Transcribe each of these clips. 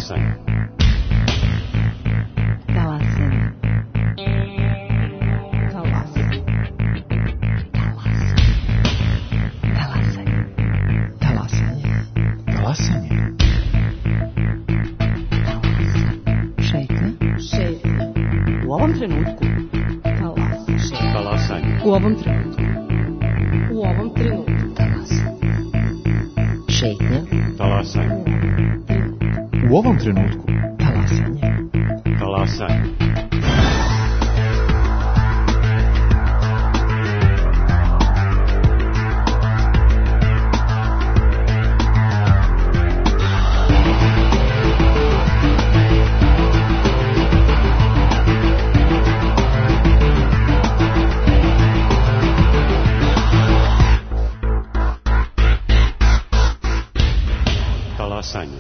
Talasanje. Talasanje. Talasanje. Talasanje. Talasanje. Talasanje. Šetnja. U ovom trenutku. Talasanje. U ovom trenutku. U ovom trenutku. Šetnja. Talasanje. U ovom trenutku. Talasanje. Talasanje. Talasanje.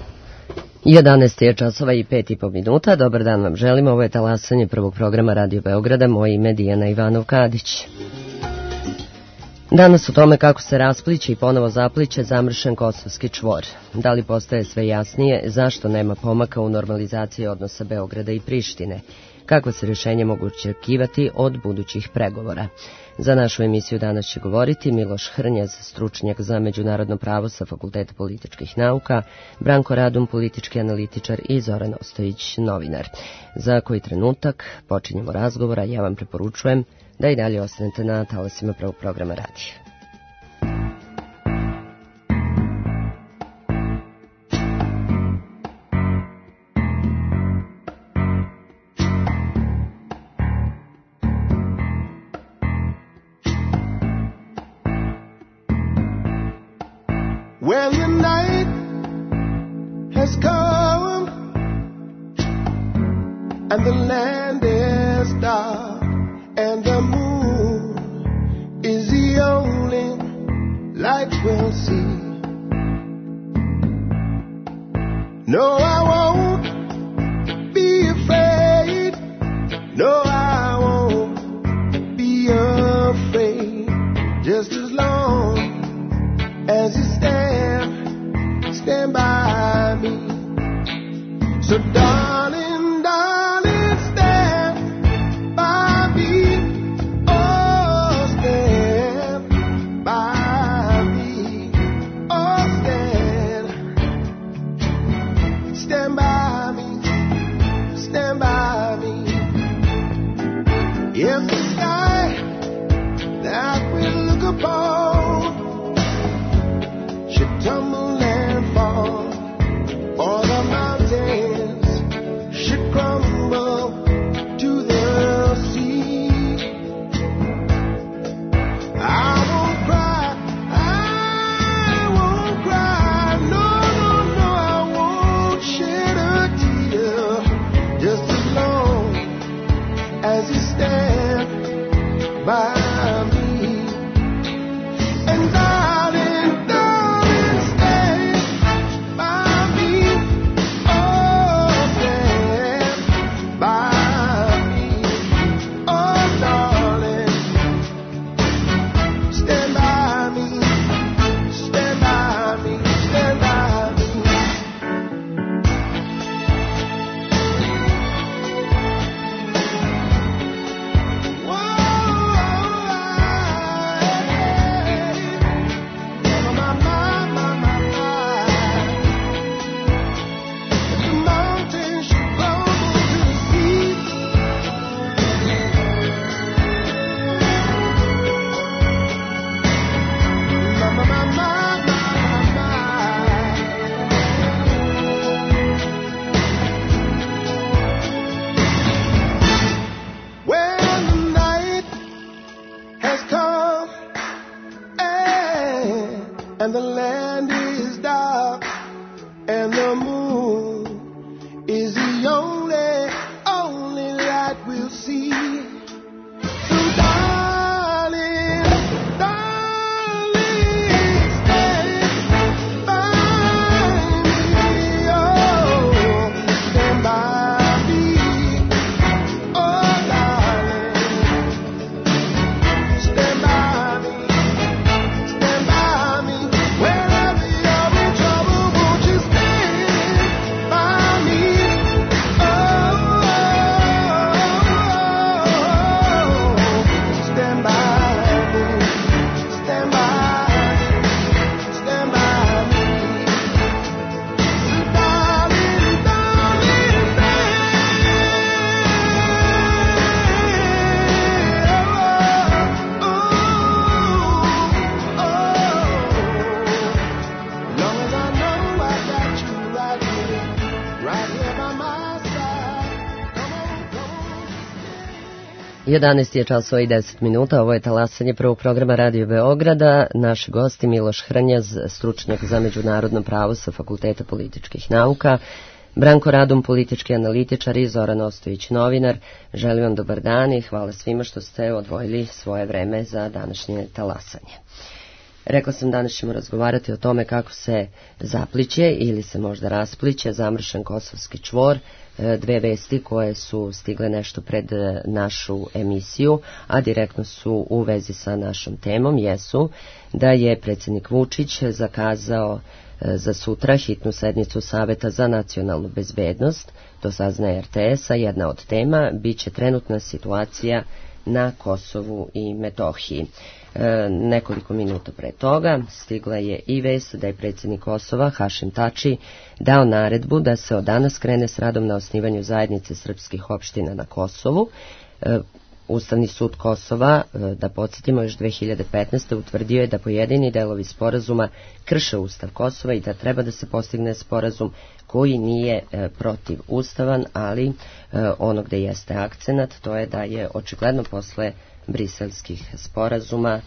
11 je časova i 5,5 minuta. Dobar dan vam želimo. Ovo je Talasanje prvog programa Radio Beograda. Moje ime Dijana Ivanov-Kadić. Danas o tome kako se raspliće i ponovo zapliće zamršen Kosovski čvor. Da li postaje sve jasnije zašto nema pomaka u normalizaciji odnosa Beograda i Prištine? Kako se rješenje mogu očekivati od budućih pregovora? Za našu emisiju danas će govoriti Miloš Hrnjaz, stručnjak za međunarodno pravo sa Fakulteta političkih nauka, Branko Radum, politički analitičar i Zoran Ostojić, novinar. Za koji trenutak počinjemo razgovora, ja vam preporučujem da i dalje ostanete na talasima prvog programa radija. Well, the night has come and the land is dark and the moon is the only light we'll see. No, I won't be afraid. No, I won't be afraid. Just as long as you stand by me. So darling, darling, stand by me. Oh, stand by me. Oh, stand by me. Stand by me. If the sky that we look upon should tumble and fall, or the mountains should crumble to the sea, I won't cry, no, no, no, I won't shed a tear, just as long as you stand by me. And the land is dark and the moon is the only light we'll see. So darling, darling, stand by me. Oh, stand by me. Oh, darling, stand by me. Stand by me. Wherever 11 je časova i 10 minuta, ovo je talasanje prvog programa Radio Beograda. Naši gosti Miloš Hrnjaz, stručnjak za međunarodno pravo sa Fakulteta političkih nauka, Branko Radum, politički analitičar i Zoran Ostojić, novinar. Želim vam dobar dan i hvala svima što ste odvojili svoje vreme za današnje talasanje. Rekla sam, danas ćemo razgovarati o tome kako se zapliće ili se možda raspliće zamršen kosovski čvor. Dve vesti koje su stigle nešto pred našu emisiju, a direktno su u vezi sa našom temom, jesu da je predsjednik Vučić zakazao za sutra hitnu sednicu Saveta za nacionalnu bezbednost. To saznaje RTS-a. Jedna od tema biće trenutna situacija na Kosovu i Metohiji. Nekoliko minuta pre toga stigla je i vest da je predsjednik Kosova Hašim Tači dao naredbu da se od danas krene s radom na osnivanju zajednice srpskih opština na Kosovu. Ustavni sud Kosova, da podsjetimo, još 2015. utvrdio je da pojedini delovi sporazuma krše Ustav Kosova i da treba da se postigne sporazum koji nije protivustavan, ali ono gde jeste akcenat, to je da je očigledno posle briselskih sporazuma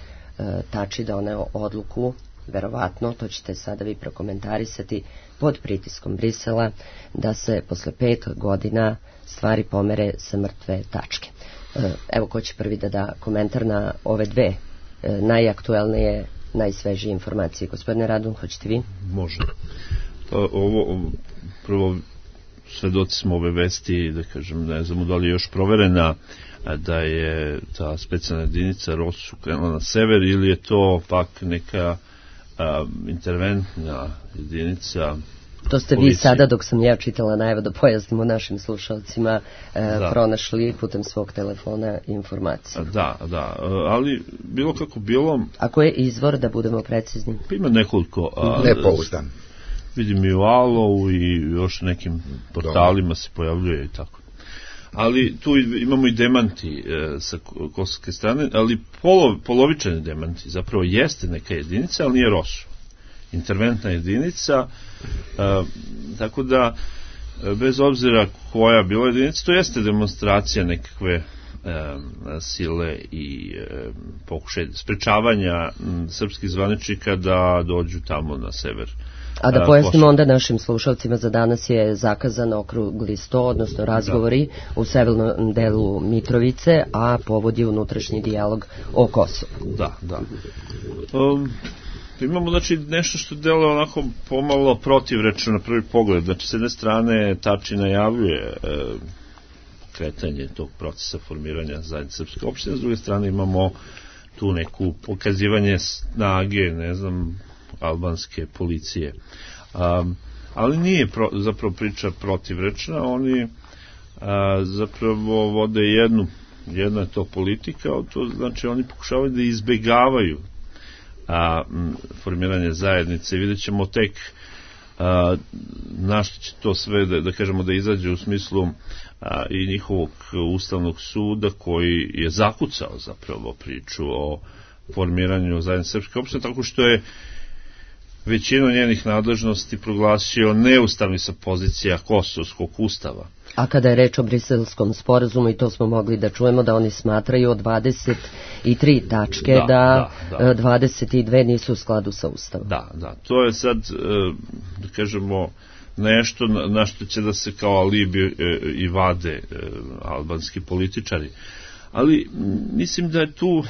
Tači doneo odluku, verovatno, to ćete sada vi prokomentarisati, pod pritiskom Brisela, da se posle 5 godina stvari pomere sa mrtve tačke. Evo, ko će prvi da da komentar na ove dve najaktuelnije, najsvežije informacije? Gospodine Radun, hoćete vi? Može. Ovo, prvo, svedoci smo ove vesti, da kažem, ne znamo da li je još proverena, da je ta specijalna jedinica ROSU krenula na sever, ili je to pak neka interventna jedinica. To ste vi sada, dok sam ja čitala najavu, da pojasnimo našim slušalcima, pronašli putem svog telefona informacije. Da, ali bilo kako bilo... Ako je izvor, da budemo precizni? Ima nekoliko... Nepouzdan. Vidim i u Alovu i još nekim portalima se pojavljuje i tako. Ali tu imamo i demanti sa kosovske strane, ali polovičani demanti. Zapravo jeste neka jedinica, ali nije ROSU. Interventna jedinica, tako da bez obzira koja bila jedinica, to jeste demonstracija nekakve sile i pokušaj sprečavanja srpskih zvaničnika da dođu tamo na sever. A da pojasnimo onda našim slušalcima, za danas je zakazan okrugli sto, odnosno razgovori u severnom delu Mitrovice, a povod je unutrašnji dijalog o Kosovu. Da. Imamo, znači, nešto što deluje onako pomalo protivrečno na prvi pogled. Znači, s jedne strane Tači najavljuje kretanje tog procesa formiranja zajednice srpske opštine, s druge strane imamo tu neku pokazivanje snage, albanske policije. Ali nije zapravo priča protivrečna, oni zapravo vode jedna je to politika, to znači oni pokušavaju da izbegavaju formiranje zajednice. Vidjet ćemo tek na što će to sve da kažemo da izađe u smislu i njihovog ustavnog suda, koji je zakucao zapravo priču o formiranju zajednice srpske opštine, tako što je većinu njenih nadležnosti proglasio neustavni sa pozicija Kosovskog ustava. A kada je reč o briselskom sporazumu, i to smo mogli da čujemo, da oni smatraju od 23 tačke da 22 nisu u skladu sa ustavom. Da, to je sad, da kažemo, nešto na što će da se kao alibi i vade albanski političari. Ali mislim da je tu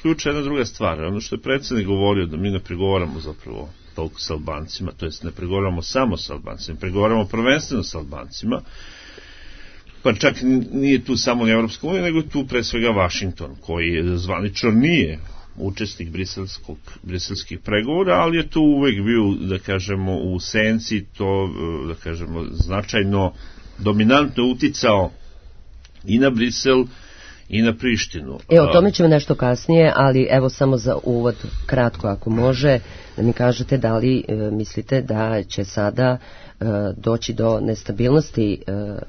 ključna jedna druga stvar. Ono što je predsjednik govorio, da mi ne pregovaramo zapravo toliko sa Albancima, to jest ne pregovaramo samo sa Albancima, pregovaramo prvenstveno sa Albancima, pa čak nije tu samo ni Evropska unija, nego tu pre svega Vašington, koji zvanično nije učesnik briselskih pregovora, ali je tu uvek bio, da kažemo, u senci, to, da kažemo, značajno, dominantno uticao i na Brisel i na Prištinu. O tome ćemo nešto kasnije, ali evo samo za uvod, kratko ako može, da mi kažete da li mislite da će sada doći do nestabilnosti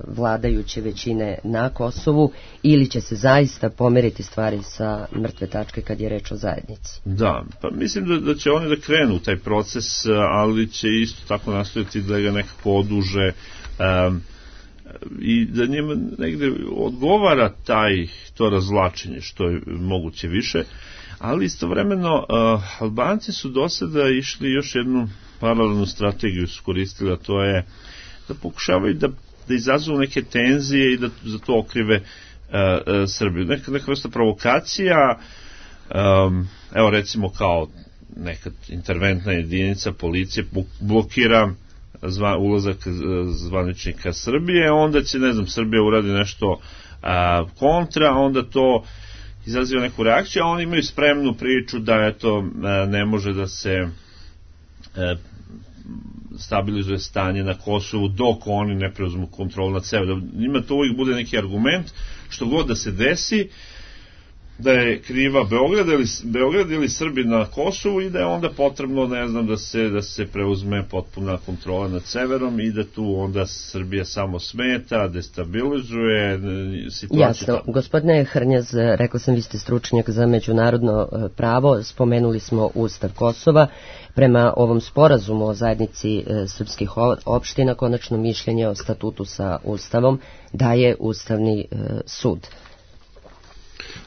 vladajuće većine na Kosovu, ili će se zaista pomeriti stvari sa mrtve tačke kad je reč o zajednici? Da, pa mislim da će oni da krenu u taj proces, ali će isto tako nastojati da ga nekako oduže i da njima negde odgovara to razvlačenje što je moguće više, ali istovremeno Albanci su do sada išli još jednu paralelnu strategiju iskoristili, a to je da pokušavaju da izazovu neke tenzije i da za to okrive Srbiju. Neka vrsta provokacija, evo recimo kao neka interventna jedinica policije blokira ulazak zvaničnika Srbije, onda će, ne znam, Srbija uradi nešto kontra, onda to izaziva neku reakciju, a oni imaju spremnu priču da eto ne može da se stabilizuje stanje na Kosovu dok oni ne preuzmu kontrolu nad sebe. Njima to uvijek bude neki argument, što god da se desi, da je kriva Beograd ili Srbi na Kosovu i da je onda potrebno, ne znam, da se preuzme potpuna kontrola nad severom i da tu onda Srbija samo smeta, destabilizuje situaciju. Jasno. Gospodine Hrnjaz, rekao sam, vi ste stručnjak za međunarodno pravo, spomenuli smo Ustav Kosova. Prema ovom sporazumu o zajednici srpskih opština, konačno mišljenje o statutu sa Ustavom daje Ustavni sud.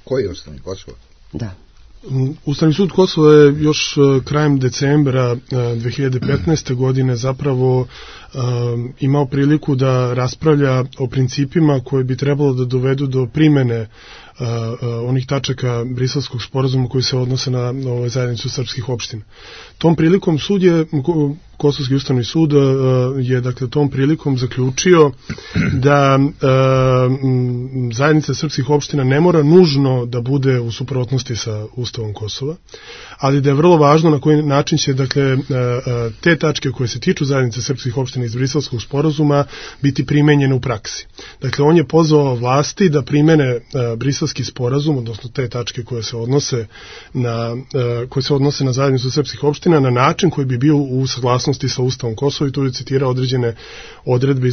Koji je Ustavni Kosovo? Da. Ustavni sud Kosova je još krajem decembra 2015. godine zapravo imao priliku da raspravlja o principima koji bi trebalo da dovedu do primene onih tačaka Briselskog sporazuma koji se odnose na zajednicu srpskih opština. Tom prilikom Kosovski ustavni sud je dakle tom prilikom zaključio da zajednica srpskih opština ne mora nužno da bude u suprotnosti sa Ustavom Kosova, ali da je vrlo važno na koji način će dakle te tačke koje se tiču zajednice srpskih opština iz Briselskog sporazuma biti primenjene u praksi. Dakle, on je pozvao vlasti da primene Briselski sporazum, odnosno te tačke koje se odnose na zajednicu srpskih opština na način koji bi bio u saglasnosti sa Ustavom Kosova, i tu je citirao određene odredbe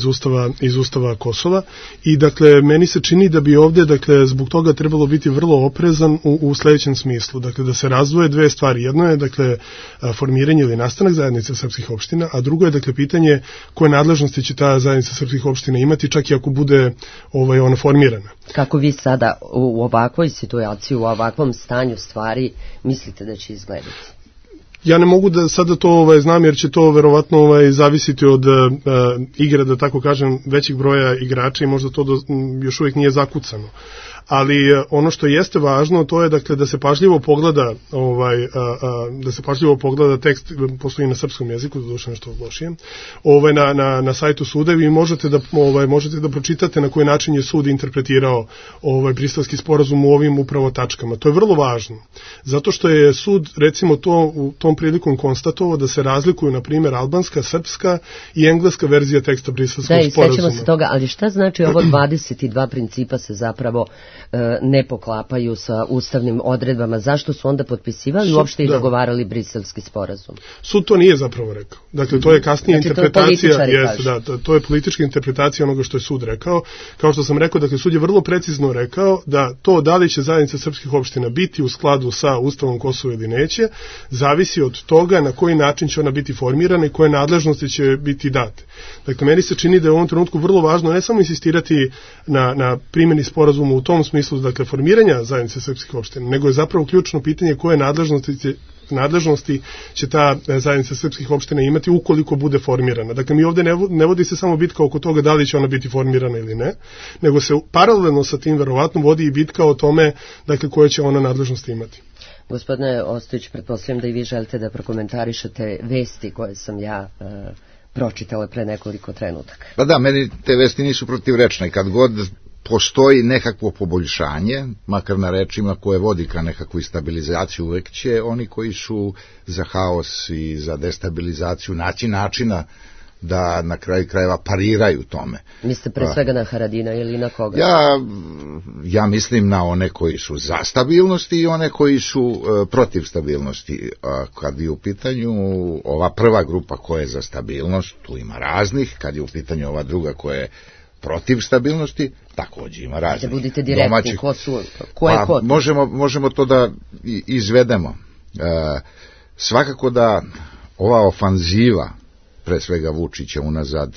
iz Ustava Kosova. I dakle, meni se čini da bi ovde, dakle, zbog toga trebalo biti vrlo oprezan u sledećem smislu. Dakle, da se razdvoje dve stvari. Jedno je, dakle, formiranje ili nastanak zajednice srpskih opština, a drugo je, dakle, pitanje koje nadležnosti će ta zajednica srpskih opština imati, čak i ako bude ona formirana. Kako vi sada u ovakvoj situaciji, u ovakvom stanju stvari mislite da će izgledati? Ja ne mogu da sada to znam, jer će to verovatno zavisiti od igre, da tako kažem, većeg broja igrača, i možda to još uvijek nije zakucano. Ali ono što jeste važno, to je, dakle, da se pažljivo pogleda tekst, postoji na srpskom jeziku, doduše nešto lošije, na sajtu suda, vi možete da pročitate na koji način je sud interpretirao Briselski sporazum u ovim upravo tačkama. To je vrlo važno, zato što je sud, recimo, u tom prilikom konstatovao da se razlikuju, na primjer, albanska, srpska i engleska verzija teksta Briselskog sporazuma. Da, i sećamo se toga, ali šta znači ovo 22 principa se zapravo ne poklapaju sa ustavnim odredbama? Zašto su onda potpisivali uopšte i dogovarali Briselski sporazum? Sud to nije zapravo rekao. Dakle, to je kasnije interpretacija. To je politička interpretacija onoga što je sud rekao. Kao što sam rekao, dakle, sud je vrlo precizno rekao da to da li će zajednica srpskih opština biti u skladu sa Ustavom Kosova ili neće, zavisi od toga na koji način će ona biti formirana i koje nadležnosti će biti date. Dakle, meni se čini da je u ovom trenutku vrlo važno ne samo insistirati na primjeni sporazuma u tom smislu, dakle, formiranja zajednice srpskih opština, nego je zapravo ključno pitanje koje nadležnosti će ta zajednica srpskih opština imati ukoliko bude formirana. Dakle, mi ovde ne vodi se samo bitka oko toga da li će ona biti formirana ili ne, nego se paralelno sa tim verovatno vodi i bitka o tome, dakle, koje će ona nadležnosti imati. Gospodine Ostojić, pretpostavljam da i vi želite da prokomentarišete vesti koje sam ja pročitala pre nekoliko trenutaka. Pa da, meni te vesti nisu protivrečne. Kad god postoji nekakvo poboljšanje, makar na rečima koje vodi ka nekakvu stabilizaciju, uvek će oni koji su za haos i za destabilizaciju naći načina da na kraju krajeva pariraju tome. Mislite pre svega na Haradina ili na koga? Ja mislim na one koji su za stabilnost i one koji su protiv stabilnosti. Kad je u pitanju ova prva grupa koja je za stabilnost, tu ima raznih. Kad je u pitanju ova druga koja je protiv stabilnosti, također ima raznih. Da budete direktni, ko je ko? Možemo to da izvedemo. Svakako da ova ofanziva pre svega Vučića unazad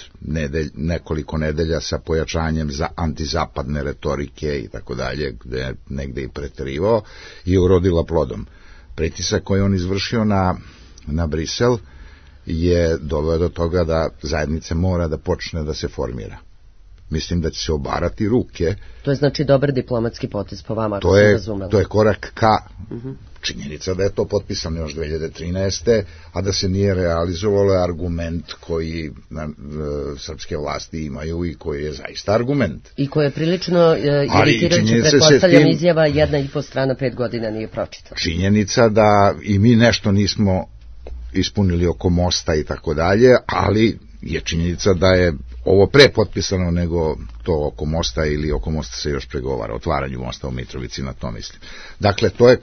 nekoliko nedelja sa pojačanjem za antizapadne retorike i tako dalje, gde je negde i preterivao, je urodila plodom. Pritisak koji on izvršio na Brisel je doveo do toga da zajednica mora da počne da se formira. Mislim da će se obarati ruke. To je znači dobar diplomatski potez po vama, ako sam razumela. To je korak ka činjenica da je to potpisano još 2013. a da se nije realizovalo argument koji srpske vlasti imaju i koji je zaista argument. I koji je prilično iritirajuće, pretpostavljam, izjava 1,5 strana 5 godina nije pročitana. Činjenica da i mi nešto nismo ispunili oko mosta i tako dalje, ali je činjenica da je ovo pre potpisano nego to oko mosta, ili oko mosta se još pregovara, otvaranju mosta u Mitrovici, na to mislim. Dakle, to je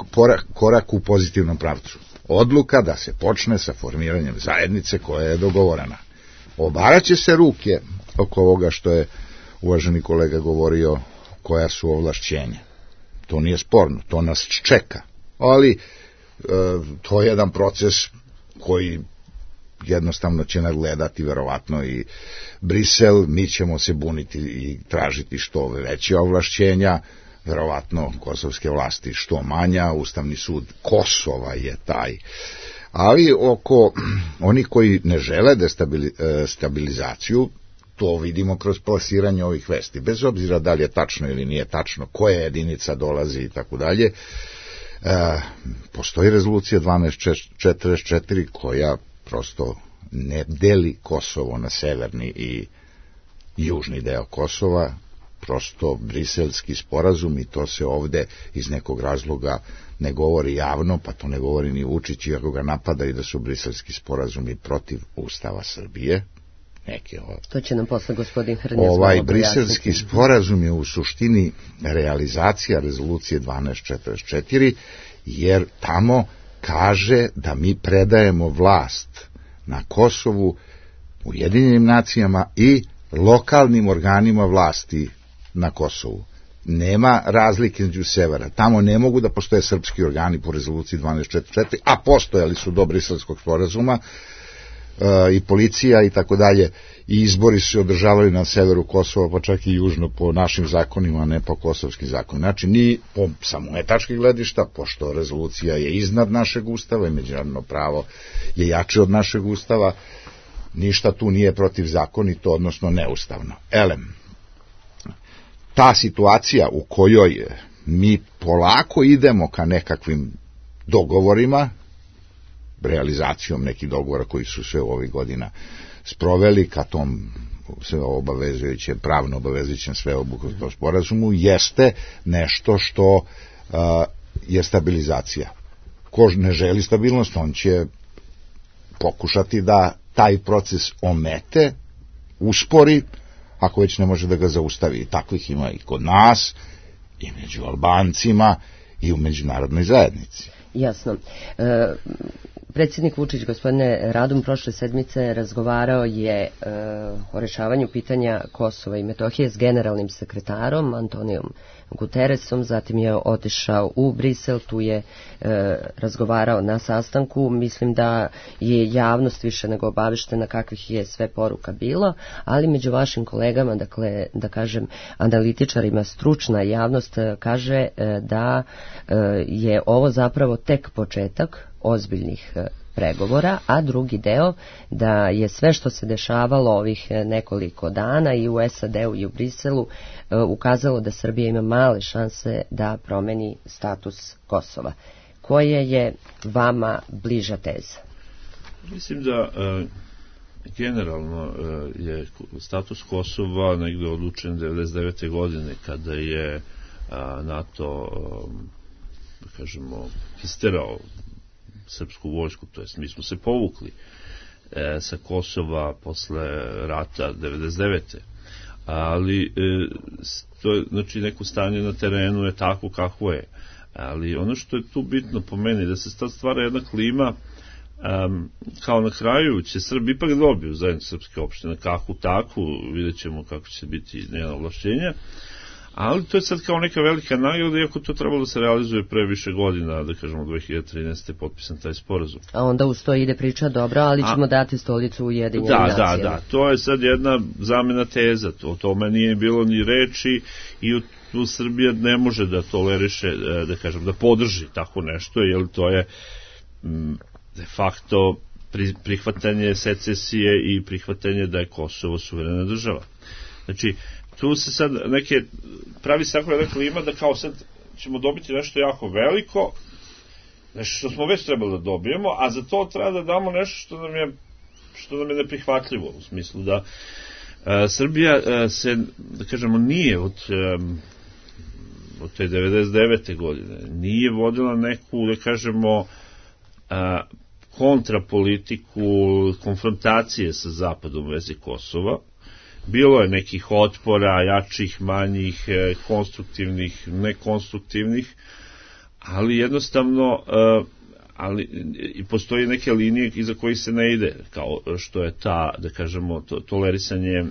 korak u pozitivnom pravcu. Odluka da se počne sa formiranjem zajednice koja je dogovorena. Obaraće se ruke oko ovoga što je uvaženi kolega govorio, koja su ovlašćenja. To nije sporno, to nas čeka. Ali to je jedan proces koji jednostavno će nadgledati verovatno i Brisel, mi ćemo se buniti i tražiti što veće ovlašćenja, verovatno kosovske vlasti što manja, Ustavni sud Kosova je taj. Ali oko onih koji ne žele stabilizaciju, to vidimo kroz plasiranje ovih vesti, bez obzira da li je tačno ili nije tačno, koja jedinica dolazi i tako dalje. Postoji rezolucija 1244 koja prosto ne deli Kosovo na severni i južni deo Kosova, prosto briselski sporazum, i to se ovde iz nekog razloga ne govori javno, pa to ne govori ni Vučić, iako ga napadaju da su briselski sporazumi protiv Ustava Srbije. To će nam posle gospodin Hrnjac briselski sporazum je u suštini realizacija rezolucije 1244, jer tamo kaže da mi predajemo vlast na Kosovu Ujedinjenim nacijama i lokalnim organima vlasti na Kosovu. Nema razlike između severa. Tamo ne mogu da postoje srpski organi po rezoluciji 1244, a postojali su do briselskog sporazuma, i policija i tako dalje, i izbori su se održavali na severu Kosova, pa čak i južno po našim zakonima, ne po kosovskim zakonima. Znači, ni po samo etačkih gledišta, pošto rezolucija je iznad našeg ustava i međunarodno pravo je jače od našeg ustava, ništa tu nije protivzakonito, odnosno neustavno. Ta situacija u kojoj mi polako idemo ka nekakvim dogovorima, realizacijom nekih dogovora koji su se u ovih godina sproveli ka tom obavezujućem, pravno obavezujućem sveobuhvatnom sporazumu, jeste nešto što je stabilizacija. Ko ne želi stabilnost, on će pokušati da taj proces omete, uspori, ako već ne može da ga zaustavi. Takvih ima i kod nas, i među Albancima, i u međunarodnoj zajednici. Jasno. Predsjednik Vučić, gospodine Radum, prošle sedmice razgovarao je o rešavanju pitanja Kosova i Metohije s generalnim sekretarom Antonijom Guteresom, zatim je otišao u Brisel, tu je razgovarao na sastanku. Mislim da je javnost više nego obaveštena kakvih je sve poruka bilo, ali među vašim kolegama, dakle, da kažem, analitičarima, stručna javnost kaže da je ovo zapravo tek početak ozbiljnih pregovora, a drugi deo da je sve što se dešavalo ovih nekoliko dana i u SAD-u i u Briselu ukazalo da Srbija ima male šanse da promeni status Kosova. Koja je vama bliža teza? Mislim da generalno je status Kosova negde odlučen 1999. godine, kada je NATO, da kažemo, isterao srpsku vojsku, to jest mi smo se povukli sa Kosova posle rata 1999. Ali to je, znači, neko stanje na terenu je tako kako je. Ali ono što je tu bitno po meni, da se stvara jedna klima, kao na kraju će Srbi ipak dobiju zajedno srpske opštine, kako tako, vidjet ćemo kako će biti njena ovlašćenja, Ali to je sad kao neka velika nagrada, iako to trebalo da se realizuje pre više godina, da kažemo 2013. je potpisan taj sporazum. A onda uz to ide priča, dobro, ali ćemo dati stolicu Ujedinjenim nacijama. Da, to je sad jedna zamena teza, o tome nije bilo ni reči i tu Srbija ne može da toleriše, da kažem, da podrži tako nešto, jer to je de facto prihvatanje secesije i prihvatanje da je Kosovo suverena država. Znači, tu se sad pravi se tako jedna klima da kao sad ćemo dobiti nešto jako veliko, nešto što smo već trebali da dobijemo, a za to treba da damo nešto što nam je neprihvatljivo, u smislu da Srbija se, da kažemo, nije od te 99. godine nije vodila neku, da kažemo, kontrapolitiku konfrontacije sa Zapadom u vezi Kosova. Bilo je nekih otpora, jačih, manjih, konstruktivnih, nekonstruktivnih, ali jednostavno i postoji neke linije iza kojih se ne ide, kao što je ta, da kažemo, tolerisanje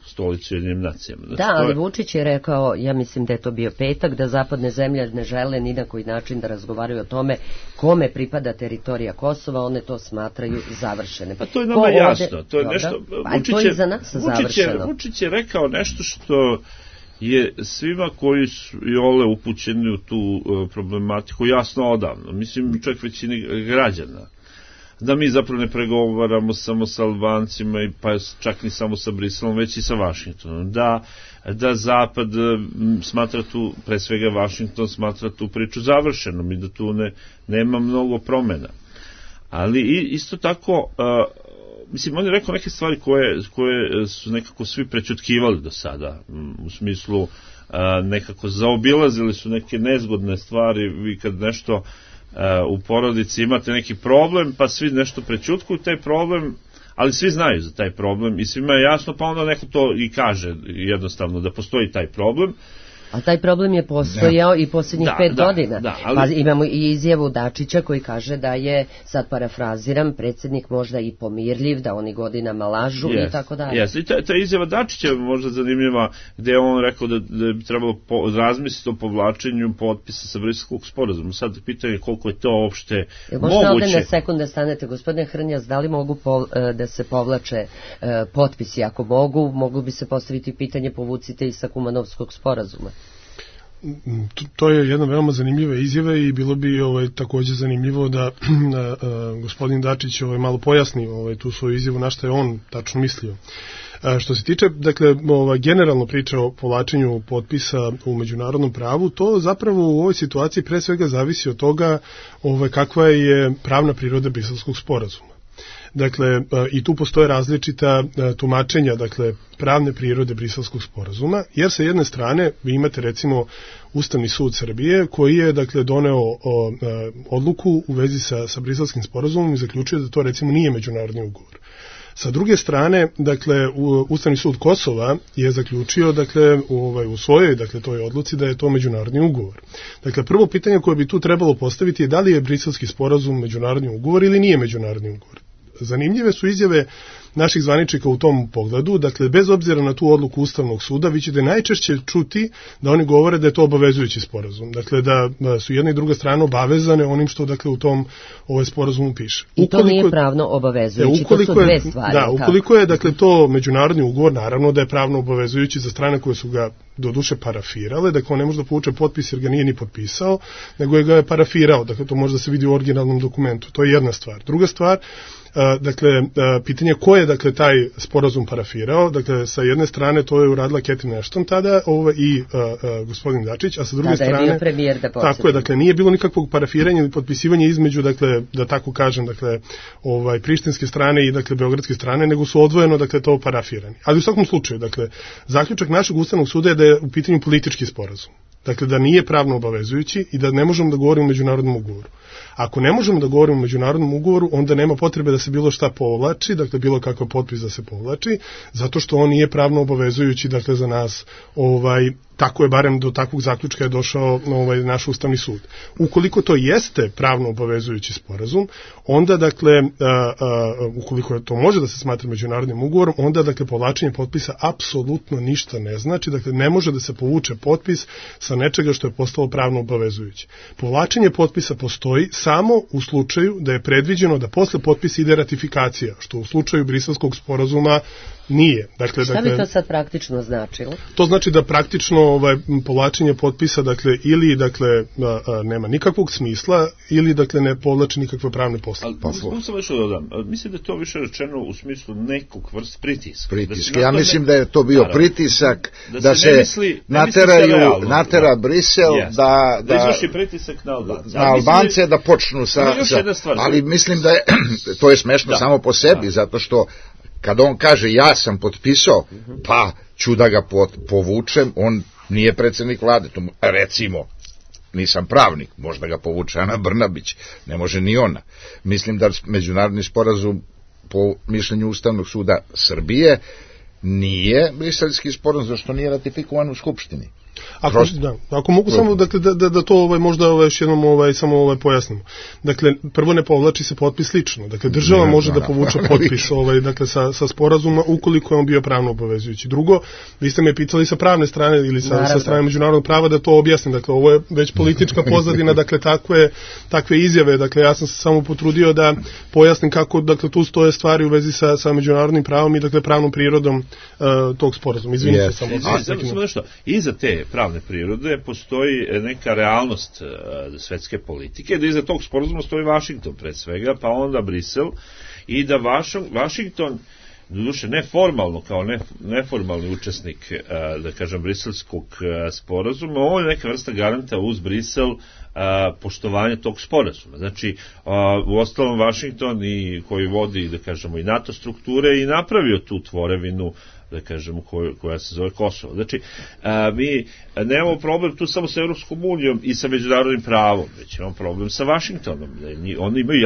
stolice Ujedinjenim nacijama. Znači, ali Vučić je rekao, ja mislim da je to bio petak, da zapadne zemlje ne žele ni na koji način da razgovaraju o tome kome pripada teritorija Kosova, one to smatraju završene. Pa to je nama jasno. To je nešto, to je za nas završeno. Vučić je rekao nešto što je svima koji su iole upućeni u tu problematiku jasno odavno. Mislim, čak većini građana. Da mi zapravo ne pregovaramo samo sa Albancima, pa čak ni samo sa Briselom, već i sa Vašingtonom. Da Zapad smatra tu, pre svega Vašington smatra tu priču završenom i da tu nema mnogo promena. Ali isto tako, mislim, on je rekao neke stvari koje su nekako svi prećutkivali do sada, u smislu nekako zaobilazili su neke nezgodne stvari, vi kad nešto u porodici imate neki problem, pa svi nešto prećutkuju taj problem, ali svi znaju za taj problem i svima je jasno, pa onda neko to i kaže jednostavno da postoji taj problem. A taj problem je postojao i posljednjih 5 godina. Pa imamo i izjavu Dačića koji kaže da je, sad parafraziram, predsjednik možda i pomirljiv, da oni godinama lažu i tako dalje. I ta izjava Dačića je možda zanimljiva, gde je on rekao da bi trebalo razmisliti o povlačenju potpisa sa Briselskog sporazuma. Sad pitanje koliko je to uopšte moguće. Možda ovdje na sekunde stanete, gospodine Hrnjas, da li mogu da se povlače potpisi? Ako mogu bi se postaviti pitanje povucite i sa Kumanovskog sporazuma. To je jedna veoma zanimljiva izjava i bilo bi također zanimljivo da gospodin Dačić malo pojasni tu svoju izjavu na što je on tačno mislio. Što se tiče, dakle, generalno priča o povlačenju potpisa u međunarodnom pravu, to zapravo u ovoj situaciji pre svega zavisi od toga kakva je pravna priroda Briselskog sporazuma. Dakle, i tu postoje različita tumačenja, dakle, pravne prirode Briselskog sporazuma, jer sa jedne strane vi imate recimo Ustavni sud Srbije koji je, dakle, doneo odluku u vezi sa Briselskim sporazumom i zaključio da to recimo nije međunarodni ugovor. Sa druge strane, dakle, Ustavni sud Kosova je zaključio, dakle, u svojoj, dakle, toj odluci da je to međunarodni ugovor. Dakle, prvo pitanje koje bi tu trebalo postaviti je da li je Briselski sporazum međunarodni ugovor ili nije međunarodni ugovor. Zanimljive su izjave naših zvaničnika u tom pogledu, dakle, bez obzira na tu odluku Ustavnog suda, vi ćete najčešće čuti da oni govore da je to obavezujući sporazum, dakle, da su jedna i druga strana obavezane onim što, dakle, u tom sporazumu piše. I to nije pravno obavezujući, to su dve stvari. Da, ukoliko je, dakle, to međunarodni ugovor, naravno da je pravno obavezujući za strane koje su ga doduše parafirale, dakle, on ne može da povuče potpis jer ga nije ni potpisao, nego ga je parafirao, dakle, to može da se vidi u originalnom dokumentu, to je jedna stvar. Druga stvar, dakle, pitanje ko je, dakle, taj sporazum parafirao, dakle, sa jedne strane to je uradila Catherine Ashton tada i gospodin Dačić, a sa druge strane... Tada je bio premijer, da podsjetim. Tako je, dakle, nije bilo nikakvog parafiranja ili potpisivanja između, dakle, da tako kažem, dakle, prištinske strane i, dakle, beogradske strane, nego su odvojeno, dakle, to parafirani. Ali u svakom slučaju, dakle, zaključak našeg Ustavnog suda je da je u pitanju politički sporazum. Dakle, da nije pravno obavezujući i da ne možemo da govorimo o međunarodnom ugovoru. Ako ne možemo da govorimo o međunarodnom ugovoru, onda nema potrebe da se bilo šta povlači, dakle bilo kakav potpis da se povlači, zato što on nije pravno obavezujući, dakle za nas, tako je, barem do takvog zaključka je došao naš Ustavni sud. Ukoliko to jeste pravno obavezujući sporazum, onda, dakle, ukoliko to može da se smatra međunarodnim ugovorom, onda, dakle, povlačenje potpisa apsolutno ništa ne znači, dakle, ne može da se povuče potpis sa nečega što je postalo pravno obavezujuće. Povlačenje potpisa postoji samo u slučaju da je predviđeno da posle potpisa ide ratifikacija, što u slučaju Briselskog sporazuma nije. Dakle, šta bi to sad praktično značilo? To znači da praktično povlačenje potpisa, dakle, ili nema nikakvog smisla, ili dakle ne povlači nikakve pravne poslove. Ali sam nešto dodam. Mislim da je to više rečeno u smislu nekog vrst pritiska. Ja mislim da je to bio pritisak da se natera Brisel da izvrši pritisak na Albance da počnu sa... Ali mislim da je to je smešno samo po sebi, zato što kad on kaže ja sam potpisao, pa ću da ga povučem, on nije predsjednik vlade, to recimo, nisam pravnik, možda ga povuče Ana Brnabić, ne može ni ona. Mislim da međunarodni sporazum po mišljenju Ustavnog suda Srbije nije briselski sporazum, zašto nije ratifikovan u Skupštini. Ako mogu samo da to možda još jednom samo pojasnimo. Dakle, prvo ne povlači se potpis lično. Dakle, država može da povuče potpis dakle, sa sporazuma ukoliko je on bio pravno obavezujući. Drugo, vi ste me pitali sa pravne strane ili sa strane međunarodnog prava da to objasnim. Dakle, ovo je već politička pozadina, dakle, takve izjave. Dakle, ja sam se samo potrudio da pojasnim kako, dakle, tu stoje stvari u vezi sa međunarodnim pravom i, dakle, pravnom prirodom tog sporazuma. Izvinite samo. Samo nešto. Iza te pravne prirode postoji neka realnost svetske politike, da iza tog sporazuma stoji Vašington pre svega, pa onda Brisel, i da Vašington, doduše neformalno, kao neformalni učesnik, da kažem, briselskog sporazuma, ovo je neka vrsta garanta uz Brisel poštovanje tog sporazuma. Znači, u ostalom Vašington koji vodi, da kažemo, i NATO strukture i napravio tu tvorevinu, da kažemo, koja se zove Kosovo. Znači, mi nemamo problem tu samo sa Evropskom unijom i sa međunarodnim pravom, već imamo problem sa Vašingtonom. Oni imaju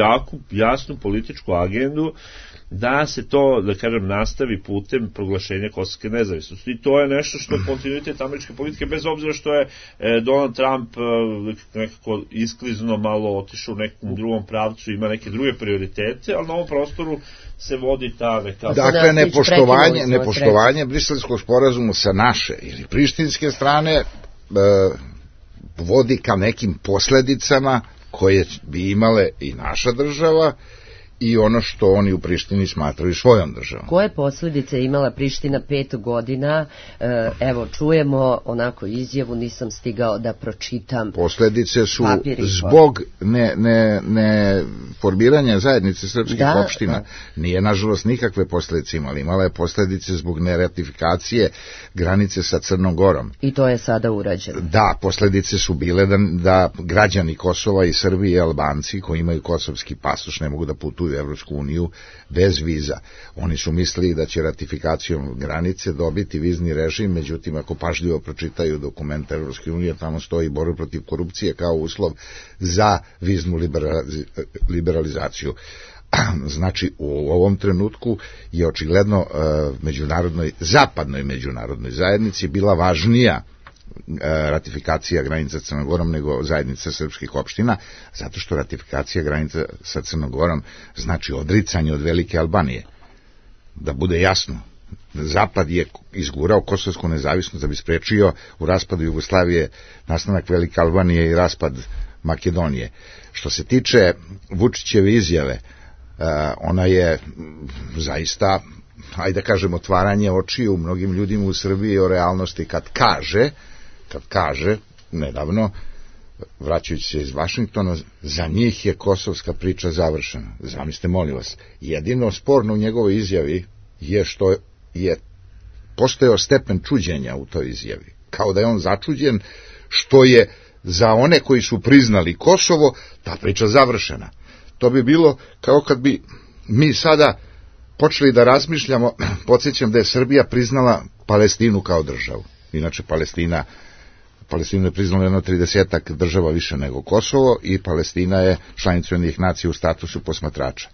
jasnu političku agendu da se to, da kažem, nastavi putem proglašenja kosovske nezavisnosti. I to je nešto što je kontinuitet američke politike, bez obzira što je Donald Trump nekako isklizno malo otišao u nekom drugom pravcu, ima neke druge prioritete, ali na ovom prostoru se vodi ta neka... Dakle, nepoštovanje briselskog sporazuma sa naše ili prištinske strane vodi ka nekim posledicama koje bi imale i naša država i ono što oni u Prištini smatraju svojom državom. Koje posljedice imala Priština 5 godina? Evo, čujemo onako izjavu, nisam stigao da pročitam. Posljedice su zbog ne formiranja zajednice srpskih opština. Nije, nažalost, nikakve posljedice imala. Imala je posljedice zbog neratifikacije granice sa Crnom Gorom. I to je sada urađeno. Da, posljedice su bile da građani Kosova i Srbije i Albanci koji imaju kosovski pasoš ne mogu da putuju u Evropsku uniju bez viza. Oni su mislili da će ratifikacijom granice dobiti vizni režim, međutim, ako pažljivo pročitaju dokumente Evropske unije, tamo stoji borba protiv korupcije kao uslov za viznu liberalizaciju. Znači, u ovom trenutku je očigledno zapadnoj međunarodnoj zajednici bila važnija ratifikacija granica sa Crnom Gorom nego zajednica srpskih opština, zato što ratifikacija granica sa Crnom Gorom znači odricanje od Velike Albanije. Da bude jasno, Zapad je izgurao kosovsku nezavisnost da bi sprečio u raspadu Jugoslavije nastanak Velike Albanije i raspad Makedonije. Što se tiče Vučićeve izjave, ona je zaista, ajde da kažem, otvaranje očiju mnogim ljudima u Srbiji o realnosti kad kaže, nedavno, vraćajući se iz Vašingtona, za njih je kosovska priča završena. Zamislite, molim vas, jedino sporno u njegovoj izjavi je što je postojao stepen čuđenja u toj izjavi. Kao da je on začuđen što je za one koji su priznali Kosovo ta priča završena. To bi bilo kao kad bi mi sada počeli da razmišljamo, podsjećam da je Srbija priznala Palestinu kao državu. Inače, Palestina Palestinu je priznalo jedno 30 država više nego Kosovo i Palestina je članica Ujedinjenih nacija u statusu posmatrača.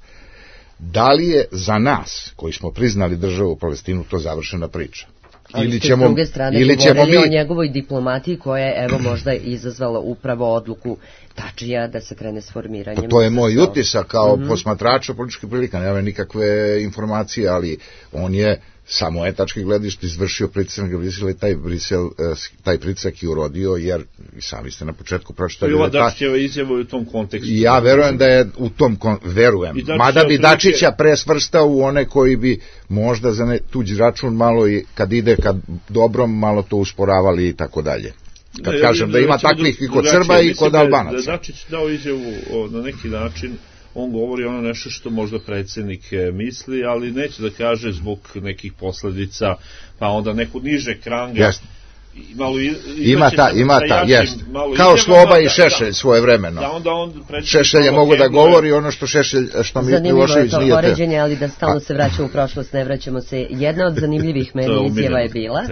Da li je za nas, koji smo priznali državu Palestinu, to završena priča? Ali ste s druge strane govorili o njegovoj diplomatiji koja je evo možda izazvala upravo odluku Tačija da se krene s formiranjem. To je moj utisak kao posmatrača političkih prilika, nema nikakve informacije, ali on je sa moje tačke gledišta izvršio pritisak na Brisel i taj pritisak je urodio, jer sami ste na početku pročitali. I ova Dačićeva izjava u tom kontekstu. Ja verujem da je u tom verujem. Mada bi Dačića presvrstao u one koji bi možda za tuđi račun malo i kad ide kad dobrom malo to usporavali i tako dalje. Kad kažem da ima takvih i kod Srba i kod Albanaca. Da Dačić dao izjavu na neki način, on govori ono nešto što možda predsjednik misli, ali neće da kaže zbog nekih posledica, pa onda neku niže kranga. Jasno. Ima ta, jest. Kao Sloba i Šešelj svoje vremeno. Šešelj je mogu da govori ono što Milošević nije. Zanimljivo je to poređenje, ali da stalno se vraćamo u prošlost, ne vraćamo se. Jedna od zanimljivih meni izjava je bila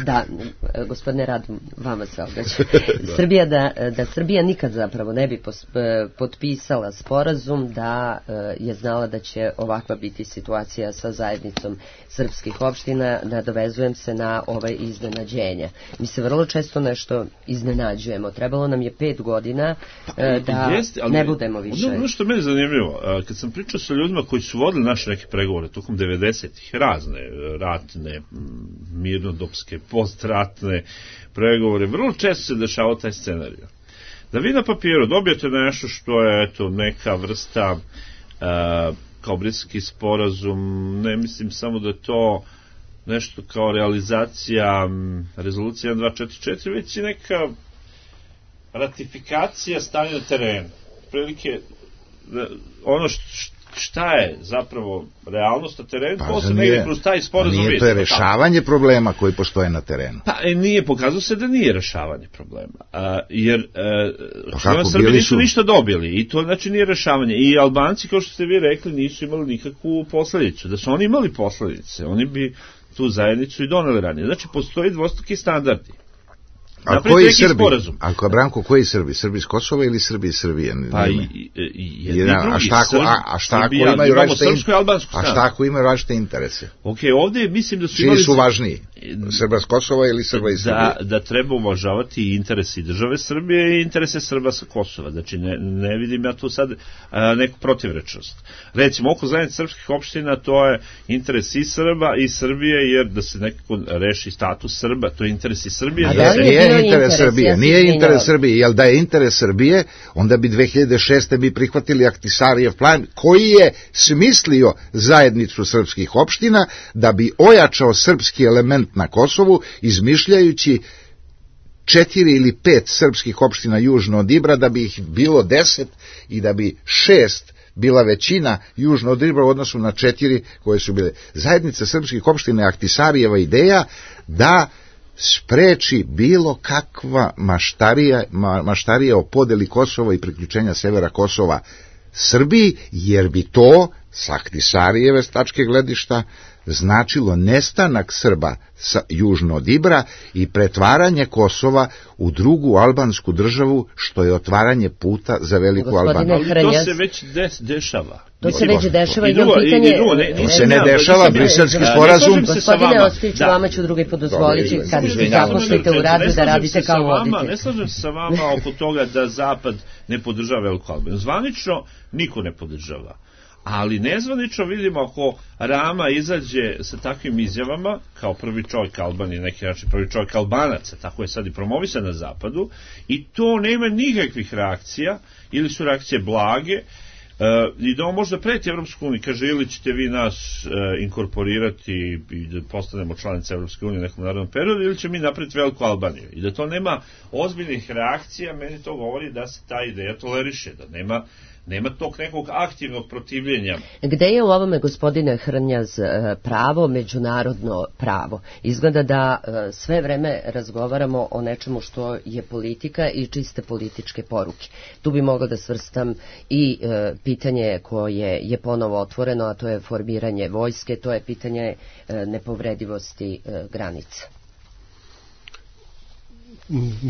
da, gospodine Radim, vama se obraćam, da Srbija nikad zapravo ne bi potpisala sporazum da je znala da će ovakva biti situacija sa zajednicom srpskih opština, nadovezujem se na ovaj iznenađenje. Mi se vrlo često nešto iznenađujemo. Trebalo nam je 5 godina da ne budemo više. Ono što meni je zanimljivo, kad sam pričao sa ljudima koji su vodili naše neke pregovore tokom 90-ih, razne ratne, mirnodopske, postratne pregovore, vrlo često se dešavao taj scenarij. Da vi na papiru dobijete nešto što je neka vrsta kao Briselski sporazum, ne mislim samo da je to nešto kao realizacija rezolucije 1244, već i neka ratifikacija stanja na terenu. Prilike, ono šta je zapravo realnost na terenu, to se negdje kroz taj sporazum. Nije to je rešavanje problema koji postoje na terenu. Pa nije, pokazalo se da nije rešavanje problema. Jer Srbi nisu ništa dobili i to znači nije rešavanje. I Albanci, kao što ste vi rekli, nisu imali nikakvu posledicu. Da su oni imali posledice, oni bi tu zajednicu i doneli ranije. Znači, postoji dvostruki standardi. A koji Srbi? Ako je Branko, koji Srbi? Srbi iz Kosova ili Srbi iz Srbije? Pa i jedni drugi. A šta ako imaju različite interese? Ok, ovdje mislim da su imali... Čiji su važniji? Srba iz Kosova ili Srba iz Srbije? Da treba uvažavati interesi države Srbije i interese Srba sa Kosova. Znači, ne vidim ja tu sad neku protivrečnost. Recimo, oko zajednice srpskih opština, to je interes i Srba i Srbije, jer da se nekako reši status Srba, to je interes i Srbije. Nije interes Srbije, nije interes Srbije, jer da je interes Srbije, onda bi 2006. bi prihvatili Ahtisarijev plan, koji je smislio zajednicu srpskih opština da bi ojačao srpski element na Kosovu, izmišljajući 4 ili 5 srpskih opština južno od Ibra, da bi ih bilo 10 i da bi 6 bila većina južno od Ibra u odnosu na 4 koje su bile. Zajednica srpskih opština je Ahtisarijeva ideja da spreči bilo kakva maštarija o podeli Kosova i priključenja severa Kosova Srbiji, jer bi to sa Ahtisarijeve tačke gledišta značilo nestanak Srba južno od Ibra i pretvaranje Kosova u drugu albansku državu, što je otvaranje puta za veliku Albaniju. Ali to se već dešava. To se već dešava i jedno pitanje... To se ne dešava, Briselski sporazum... Gospodine Ostojiću, vama ću drugi podozvoliti kad se zaposlite u radu da radite kao voditelj. Ne slažem se sa vama oko toga da Zapad ne podržava veliku Albaniju. Zvanično niko ne podržava. Ali nezvanično vidimo ako Rama izađe sa takvim izjavama, kao prvi čovjek Albanije, neki način prvi čovjek Albanaca, tako je sad i promovisan na zapadu, i to nema nikakvih reakcija, ili su reakcije blage, i da on možda preti Evropsku uniju, kaže ili ćete vi nas inkorporirati i da postanemo članice Evropske unije u nekom narodnom periodu, ili će mi napraviti veliku Albaniju. I da to nema ozbiljnih reakcija, meni to govori da se ta ideja toleriše, da nema tog nekog aktivnog protivljenja. Gde je u ovome, gospodine Hrnjaz, pravo, međunarodno pravo? Izgleda da sve vreme razgovaramo o nečemu što je politika i čiste političke poruke. Tu bi mogla da svrstam i pitanje koje je ponovo otvoreno, a to je formiranje vojske, to je pitanje nepovredivosti granica.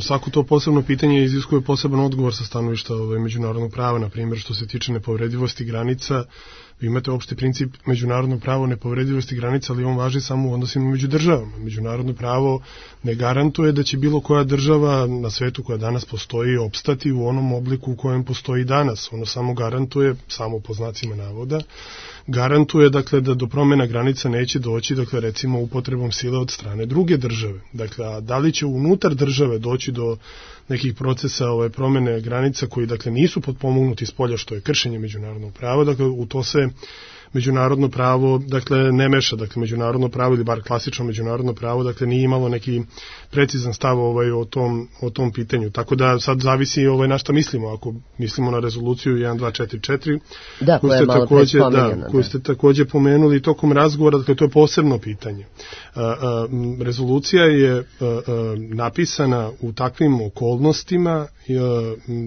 Svako to posebno pitanje iziskuje poseban odgovor sa stanovišta međunarodnog prava, na primjer što se tiče nepovredivosti granica. Vi imate opšti princip međunarodnog prava nepovredivosti granica, ali on važi samo u odnosima među državama. Međunarodno pravo ne garantuje da će bilo koja država na svetu koja danas postoji opstati u onom obliku u kojem postoji danas. Ono samo garantuje, samo po znacima navoda, garantuje dakle da do promjena granica neće doći, dakle recimo upotrebom sile od strane druge države. Dakle, a da li će unutar države doći do nekih procesa promjene granica koji dakle nisu potpomognuti s polja, što je kršenje međunarodnog prava, dakle u to se međunarodno pravo dakle ne meša, dakle međunarodno pravo ili bar klasično međunarodno pravo dakle nije imalo neki precizan stav o tom pitanju. Tako da sad zavisi na šta mislimo. Ako mislimo na rezoluciju 1244 koju ste takođe pomenuli tokom razgovora, dakle to je posebno pitanje. Rezolucija je napisana u takvim okolnostima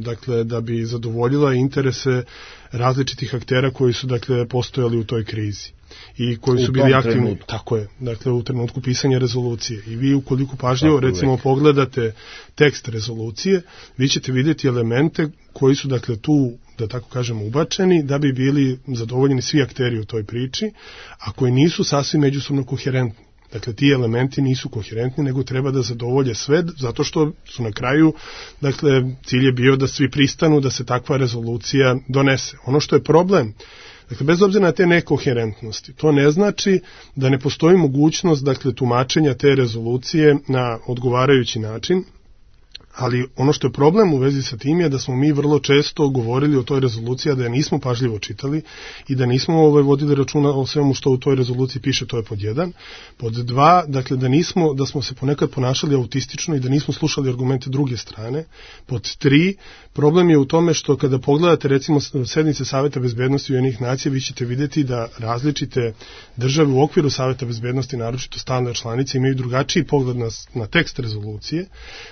dakle da bi zadovoljila interese različitih aktera koji su dakle postojali u toj krizi i koji su bili aktivni, tako je, dakle u trenutku pisanja rezolucije. I vi ukoliko pažljivo recimo pogledate tekst rezolucije, vi ćete vidjeti elemente koji su dakle tu, da tako kažemo, ubačeni da bi bili zadovoljeni svi akteri u toj priči, a koji nisu sasvim međusobno koherentni. Dakle, ti elementi nisu koherentni, nego treba da zadovolje sve, zato što su na kraju, dakle, cilj je bio da svi pristanu da se takva rezolucija donese. Ono što je problem, dakle, bez obzira na te nekoherentnosti, to ne znači da ne postoji mogućnost, dakle, tumačenja te rezolucije na odgovarajući način, ali ono što je problem u vezi sa tim je da smo mi vrlo često govorili o toj rezoluciji, a da je nismo pažljivo čitali i da nismo vodili računa o svemu što u toj rezoluciji piše, to je pod 1. Pod 2, dakle da smo se ponekad ponašali autistično i da nismo slušali argumente druge strane. Pod 3, problem je u tome što kada pogledate recimo sednice Saveta bezbednosti Ujedinjenih nacija, vi ćete vidjeti da različite države u okviru Saveta bezbednosti, naročito stalne članice, imaju drugačiji pogled na tekst rezolucije,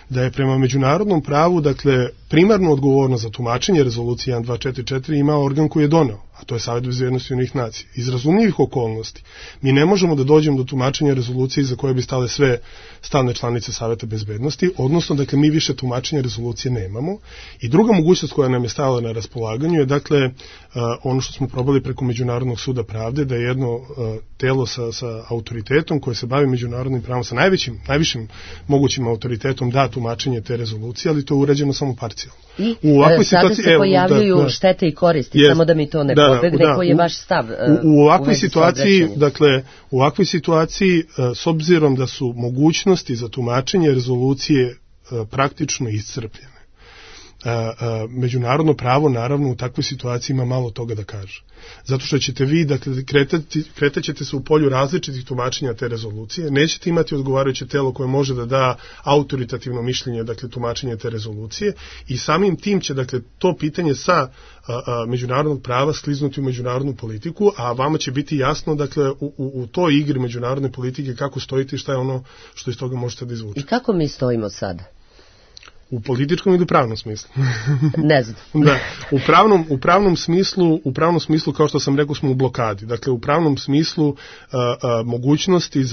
da je prema međunarodnom pravu, dakle, primarnu odgovornost za tumačenje rezolucije 1244 ima organ koji je doneo, a to je Savet bezbednosti Ujedinjenih nacija. Iz razumljivih okolnosti mi ne možemo da dođemo do tumačenja rezolucije za koje bi stale sve stalne članice Saveta bezbednosti, odnosno, dakle, mi više tumačenja rezolucije nemamo. I druga mogućnost koja nam je stala na raspolaganju je, dakle, ono što smo probali preko Međunarodnog suda pravde, da je jedno telo sa autoritetom koje se bavi međunarodnim pravom, sa najvišim mogućim autoritetom da tumačenje te rezolucije, ali to je urađeno samo parcijalno. I sada se pojavljuju štete i koristi, samo da mi to ne pobegne, koji je vaš stav u ovakvoj situaciji, dakle, u ovakvoj situaciji, s obzirom da su mogućnosti za tumačenje rezolucije praktično iscrpljene, međunarodno pravo naravno u takvoj situaciji ima malo toga da kaže. Zato što ćete vi, dakle, kretat ćete se u polju različitih tumačenja te rezolucije, nećete imati odgovarajuće telo koje može da da autoritativno mišljenje, dakle, tumačenje te rezolucije, i samim tim će, dakle, to pitanje sa međunarodnog prava skliznuti u međunarodnu politiku, a vama će biti jasno, dakle, u toj igri međunarodne politike kako stojite i šta je ono što iz toga možete da izvučete. I kako mi stojimo sada? U političkom ili pravnom smislu? Ne znam. Da, u pravnom smislu, kao što sam rekao, smo u blokadi. Dakle, u pravnom smislu mogućnosti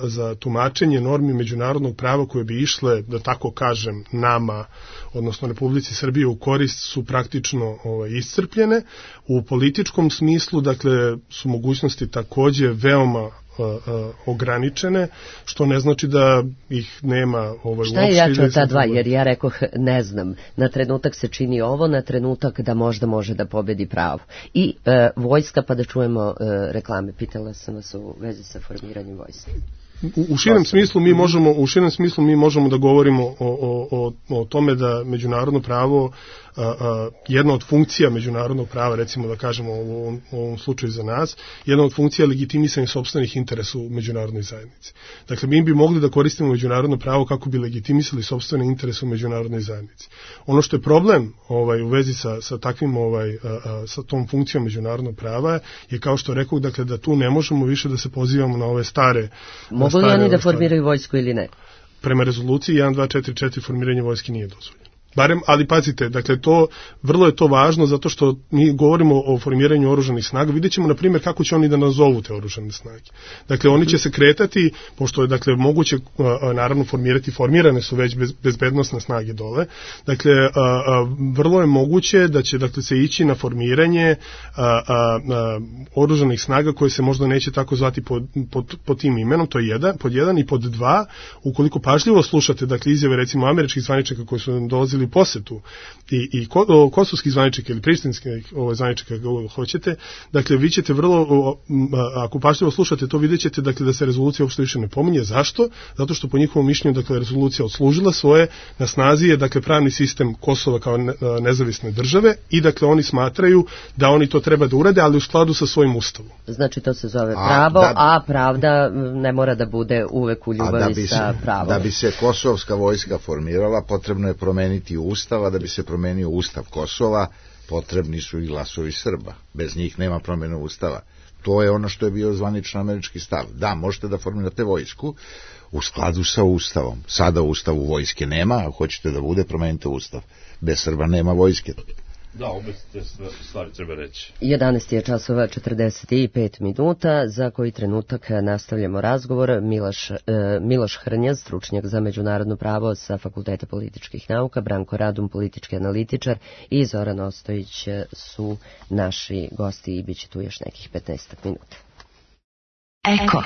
za tumačenje normi međunarodnog prava koje bi išle, da tako kažem, nama, odnosno Republici Srbije u korist, su praktično iscrpljene. U političkom smislu, dakle, su mogućnosti takođe veoma ograničene, što ne znači da ih nema uopšte. Šta je jače od ta dva? Jer ja rekoh, ne znam, na trenutak se čini ovo, na trenutak da možda može da pobedi pravo. I vojska, pa da čujemo reklame. Pitala sam vas u vezi sa formiranjem vojske. U širem smislu mi možemo da govorimo o tome da međunarodno pravo, jedna od funkcija međunarodnog prava, recimo da kažemo u ovom slučaju za nas, jedna od funkcija je legitimisanje sopstvenih interesa u međunarodnoj zajednici. Dakle, mi bi mogli da koristimo međunarodno pravo kako bi legitimisali sopstvene interese u međunarodnoj zajednici. Ono što je problem u vezi sa takvim sa tom funkcijom međunarodnog prava je, kao što rekao, dakle, da tu ne možemo više da se pozivamo na ove stare. Mogu li oni da formiraju vojsku ili ne? Prema rezoluciji 1244 formiranje vojske nije dozvoljeno. Barem, ali pazite, dakle vrlo je to važno zato što mi govorimo o formiranju oružanih snaga. Vidjet ćemo, na primjer, kako će oni da nazovu te oružane snage. Dakle, oni će se kretati, pošto je, dakle, moguće, naravno, formirane su već bezbednosne snage dole. Dakle, vrlo je moguće da će, dakle, se ići na formiranje oružanih snaga koje se možda neće tako zvati pod tim imenom, to je pod jedan, i pod dva, ukoliko pažljivo slušate, dakle, izjave, recimo, američkih zvaničnika koji su dolazili posetu i kosovskih zvaničnika ili prištinskih zvaničnika, kako hoćete, dakle, vi ćete vrlo, ako pažljivo slušate to, vidjet ćete, dakle, da se rezolucija uopšte više ne pominje. Zašto? Zato što po njihovom mišljenju, dakle, rezolucija odslužila svoje, na snazi je, dakle, pravni sistem Kosova kao nezavisne države i, dakle, oni smatraju da oni to treba da urade, ali u skladu sa svojim ustavom. Znači, to se zove pravo, a pravda ne mora da bude uvek u ljubavi sa pravom. Da bi se kosovska vojska formirala, potrebno je promeniti ustav, a da bi se promenio ustav Kosova, potrebni su i glasovi Srba. Bez njih nema promjene ustava. To je ono što je bio zvaničan američki stav. Da, možete da formirate vojsku u skladu sa ustavom. Sada u ustavu vojske nema, a hoćete da bude, promenite ustav. Bez Srba nema vojske. Da, obe te stvari treba reći. 11 je časova 45 minuta, za koji trenutak nastavljamo razgovor. Miloš Hrnja, stručnjak za međunarodno pravo sa Fakulteta političkih nauka, Branko Radun, politički analitičar, i Zoran Ostojić su naši gosti i bit će tu još nekih 15 minuta. Eko.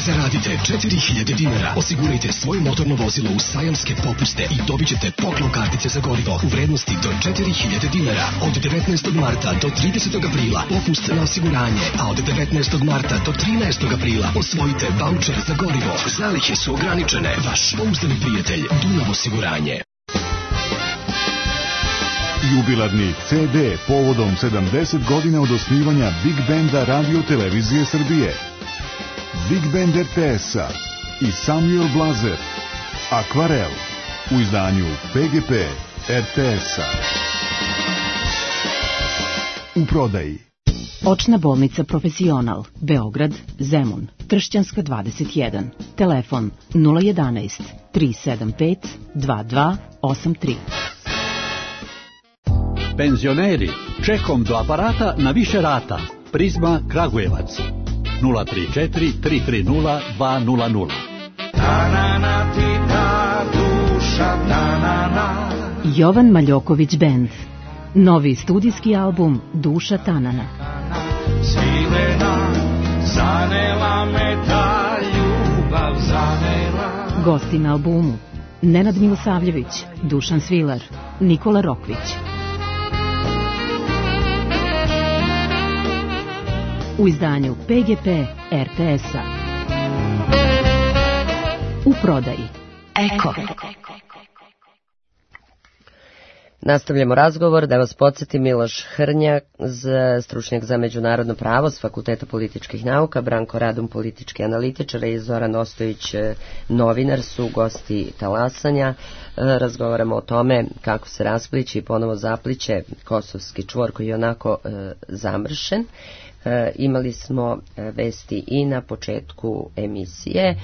Zaradite 4000 dinara, osigurajte svoje motorno vozilo u sajamske popuste i dobit ćete poklon kartice za gorivo u vrednosti do 4000 dinara. Od 19. marta do 30. aprila popust na osiguranje, a od 19. marta do 13. aprila osvojite vaučer za gorivo. Zalihe su ograničene. Vaš pouzdani prijatelj Dunav osiguranje. Jubilarni CD povodom 70 godina od osnivanja Big Benda Radio Televizije Srbije. Big Band RTS-a i Samuel Blazer, Akvarel, u izdanju PGP RTS-a. U prodaji. Očna bolnica Profesional, Beograd, Zemun, Tršćanska 21, telefon 011 375 2283. Penzioneri, čekom do aparata na više rata. Prizma Kragujevac. 034 330 200. Jovan Maljoković Band. Novi studijski album Duša Tanana. Svilena, zanela me ta ljubav, zanela. Gosti na albumu: Nenad Milosavljević, Dušan Svilar, Nikola Rokvić. U izdanju PGP RTS-a. U prodaji. Eko. Nastavljamo razgovor. Da vas podsjetim, Miloš Hrnja, stručnjak za međunarodno pravo s Fakulteta političkih nauka, Branko Radun, politički analitičar, i Zoran Ostojić, novinar, su gosti Talasanja. Razgovaramo o tome kako se raspliće i ponovo zapliće kosovski čvor koji je onako zamršen. Imali smo vesti i na početku emisije.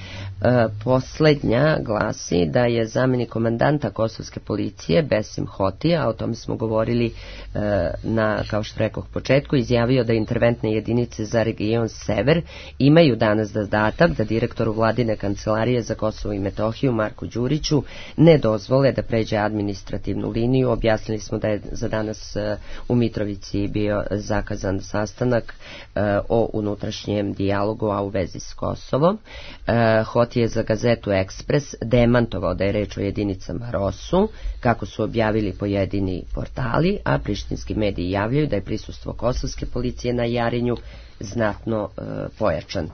Poslednja glasi da je zamjenik komandanta kosovske policije Besim Hotija, a o tome smo govorili na, kao što rekoh, početku, izjavio da interventne jedinice za region Sever imaju danas zadatak da direktoru vladine kancelarije za Kosovo i Metohiju Marku Đuriću ne dozvole da pređe administrativnu liniju. Objasnili smo da je za danas u Mitrovici bio zakazan sastanak o unutrašnjem dijalogu, a u vezi s Kosovom. Hoti je za gazetu Ekspres demantovao da je reč o jedinicama ROSU, kako su objavili pojedini portali, a prištinski mediji javljaju da je prisustvo kosovske policije na Jarinju znatno pojačan.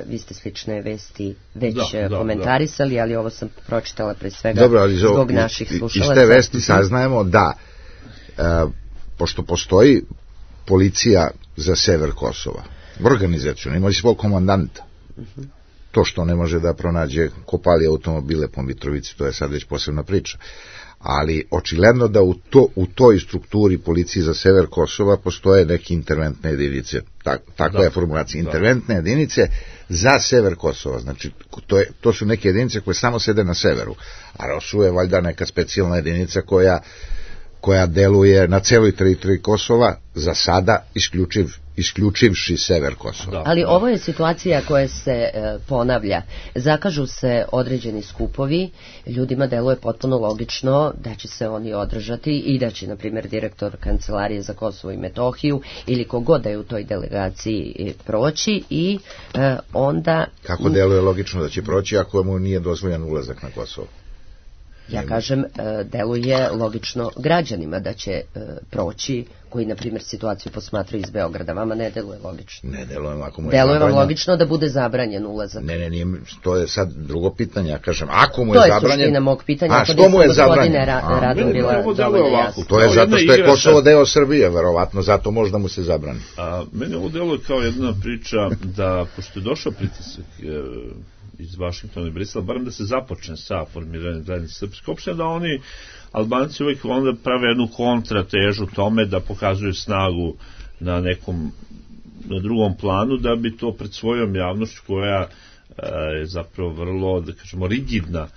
Vi ste slične vesti već komentarisali, ali ovo sam pročitala pre svega zbog naših slušalaca. Iz te vesti saznajemo da pošto postoji policija za sever Kosova, organizacijona, ima svog komandanta. To što ne može da pronađe, ko pali automobile po Mitrovici, to je sad već posebna priča. ali očigledno da u toj strukturi policiji za sever Kosova postoje neke interventne jedinice, takva je formulacija, interventne jedinice za sever Kosova, znači to su neke jedinice koje samo sede na severu, a ROSU je valjda neka specijalna jedinica koja deluje na celoj teritoriji Kosova, za sada isključivši sever Kosova. Ali ovo je situacija koja se ponavlja. Zakažu se određeni skupovi, ljudima deluje potpuno logično da će se oni održati i da će, na primjer, direktor Kancelarije za Kosovo i Metohiju ili kogod da je u toj delegaciji proći i onda... Kako deluje logično da će proći ako mu nije dozvoljen ulazak na Kosovo? Ja kažem, deluje logično građanima da će proći, koji, na primjer, situaciju posmatraju iz Beograda. Vama ne deluje logično. Ne deluje, ako mu je deluje vam logično da bude zabranjen ulazak. Ne, to je sad drugo pitanje, ja kažem, ako mu je zabranjen... To je suština mog pitanja. A što mu je zabranjen? To je zato što je Kosovo deo Srbije, verovatno, zato možda mu se zabrani. Meni ovo deluje kao jedna priča da, pošto je došao pritisak iz Vašingtona i Brisela, barem da se započne sa formiranjem zajednice srpske opštine, da oni Albanci uvijek onda prave jednu kontratežu tome da pokazuju snagu na drugom planu, da bi to pred svojom javnošću, koja je zapravo vrlo, da kažemo, rigidna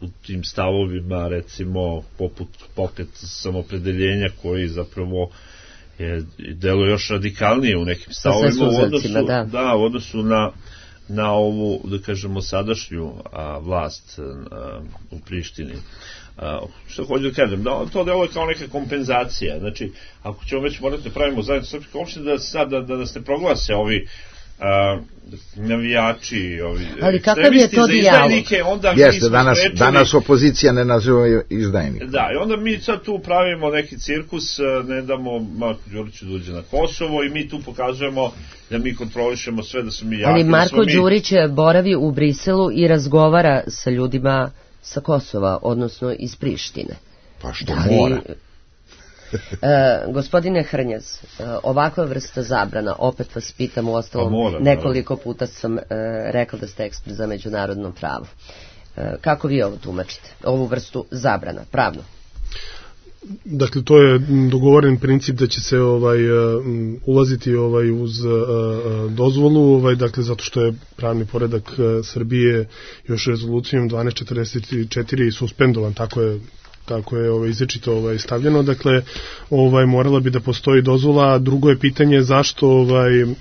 u tim stavovima, recimo poput pokret samopredeljenja, koji zapravo deluje još radikalnije u nekim stavovima u odnosu na ovu, da kažemo, sadašnju vlast u Prištini. Što hoću da kažem, to deluje kao neka kompenzacija. Znači, ako ćemo već morati da pravimo zajednicu srpske opštine, da nas ne proglase ovi navijači, ovi ekstremisti za izdajnike, onda mi smo sprečili... Danas opozicija ne naziva izdajnike. Da, i onda mi sad tu pravimo neki cirkus, ne damo Marku Đuriću da uđe na Kosovo i mi tu pokazujemo da mi kontrolišemo sve, da smo mi jaki. Ali Marko Đurić boravi u Briselu i razgovara sa ljudima sa Kosova, odnosno iz Prištine. Pa što mora? Gospodine Hrnjaz, ovakva vrsta zabrana, opet vas pitam, u ostalom nekoliko puta sam rekla da ste ekspert za međunarodno pravo. Kako vi ovo tumačite, ovu vrstu zabrana, pravno? Dakle, to je dogovoren princip da će se ulaziti uz dozvolu, dakle, zato što je pravni poredak Srbije još rezolucijom 1244 suspendovan, tako je izričito stavljeno, dakle morala bi da postoji dozvola, a drugo je pitanje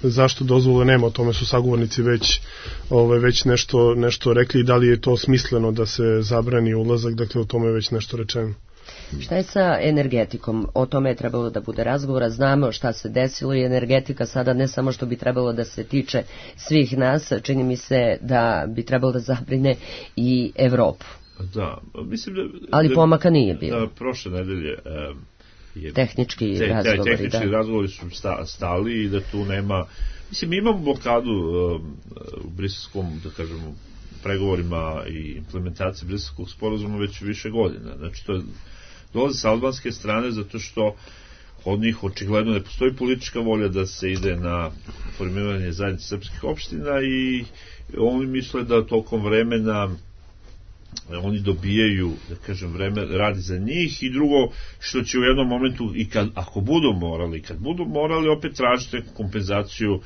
zašto dozvole nema, o tome su sagovornici već nešto rekli, i da li je to smisleno da se zabrani ulazak, dakle o tome je već nešto rečeno. Šta je sa energetikom? O tome je trebalo da bude razgovora, znamo šta se desilo i energetika sada ne samo što bi trebalo da se tiče svih nas, čini mi se da bi trebalo da zabrine i Evropu. Da, mislim ali pomaka nije bilo. Da, prošle nedelje tehnički razgovori su stali i da tu nema, mislim, mi imamo blokadu u briselskom, da kažemo, pregovorima i implementaciji briselskog sporazuma već više godina. Znači, to dolazi sa albanske strane zato što od njih očigledno ne postoji politička volja da se ide na formiranje zajednice srpskih opština i oni misle da tokom vremena oni dobijaju, da kažem, vreme radi za njih, i drugo što će u jednom momentu, i ako budu morali opet tražiti kompenzaciju